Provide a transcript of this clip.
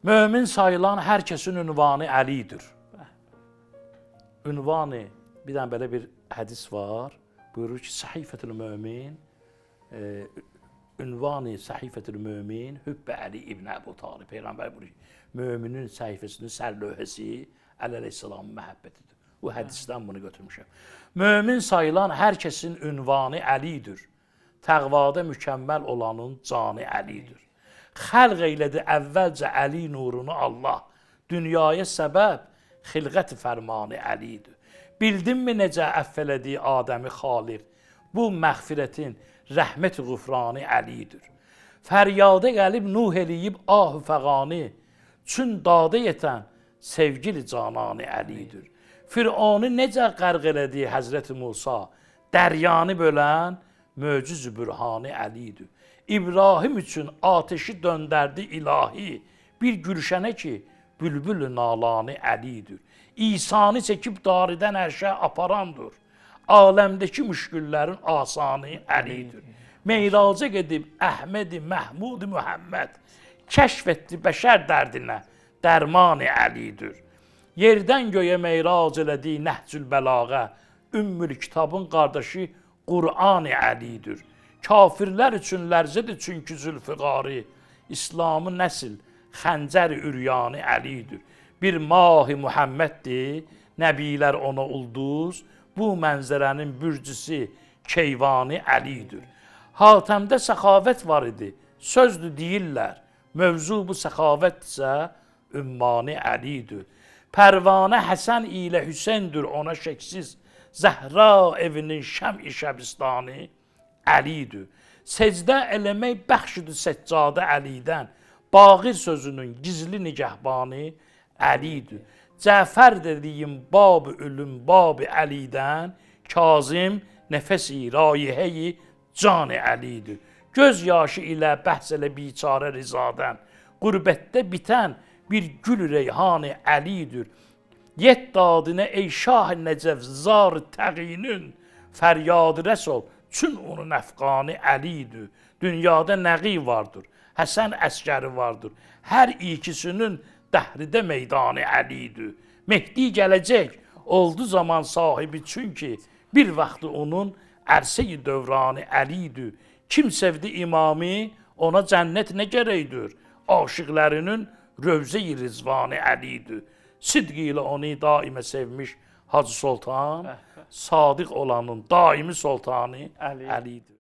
Mömin sayılan hər kəsin ünvanı Əlidir. Ünvanı, bir dənə belə bir hədis var. Buyurur ki, Səhifətül Mömin, ünvanı Səhifətül Mömin, Hübbə Əli İbn Əbu Talib. Peyğəmbər buyurur ki, möminin səhifəsinin sərlövhəsi Əli əleyhissalamın məhəbbətidir. Bu hədisdən bunu götürmüşəm. Mömin sayılan hər kəsin ünvanı Əlidir. Təqvada mükəmməl olanın canı Əlidir. Xəlq eylədi əvvəlcə Əli nurunu Allah. Dünyaya səbəb xilqət fərmanı Əlidir. Bildinmi necə əff elədiyi Adəmi Xaliq? Bu məğfirətin rəhmət qufranı Əlidir. Fəryadə gəlib Nuh eləyib ah-ı fəqani. Çün dadə yetən sevgili cananı Əlidir. Fir'onu necə qərq elədiyi Həzrəti Musa? Dəryanı bölən möcüz-ü bürhanı Əlidir. İbrahim üçün ateşi döndərdi ilahi. Bir gülşənə ki, bülbül-ü nalanı Əlidir. İsanı çəkib daridən ərşə aparandır. Aləmdəki müşküllərin asanı Əlidir. Meyraca gedib Əhməd-i Məhmud-i Muhammed kəşf etdi bəşər dərdinə, dərman-ı Əlidir. Yerdən göyə meyrac elədi Nəhcül Bəlağə, Ümmül Kitabın qardaşı Qur'an-ı Əlidir. Kafirlər üçün lərzədir çünki Zülfiqari, İslamı nəsil, xəncər-i üryanı Əlidir. Bir mah-ı Muhammeddir, nəbilər ona ulduz, bu mənzərənin bürcüsü Keyvanı Əlidir. Hatəmdə səxavət var idi, sözdür deyirlər, mövzu bu səxavətdirsə, ümmanı Əlidir. Pərvanə Həsən ilə Hüseyndir ona şəksiz, Zəhra evinin şəm-i şəbistanı Əlidir. Secdə eləmək bəxşidir səccadə Əlidən, Bağir sözünün gizli nigəhbanı Əlidir. Cəfər dediyim bab-ı ölüm bab-ı Əlidən, Kazım nəfəsi rayihəyi can-ı Əlidir. Göz yaşı ilə bəhs elə biçarə rizadən, qürbətdə bitən bir gül reyhan-ı Əlidir. Yet dadinə ey şah nəcəvzar təqinin, fəryad rəsul, çün onun əfqanı Əlidir. Dünyada nəqi vardır, Həsən əskəri vardır. Hər ikisinin dəhridə meydanı Əlidir. Mehdi gələcək, oldu zaman sahibi çünki bir vaxtı onun ərsə-i dövranı Əlidir. Kim sevdi imamı, ona cənnət nə gərəkdir? Aşıqlərinin rövzə-i rizvanı Əlidir. Sidq ilə onu daimə sevmiş Hacı Sultan, sadiq olanın daimi sultanı Əlidir.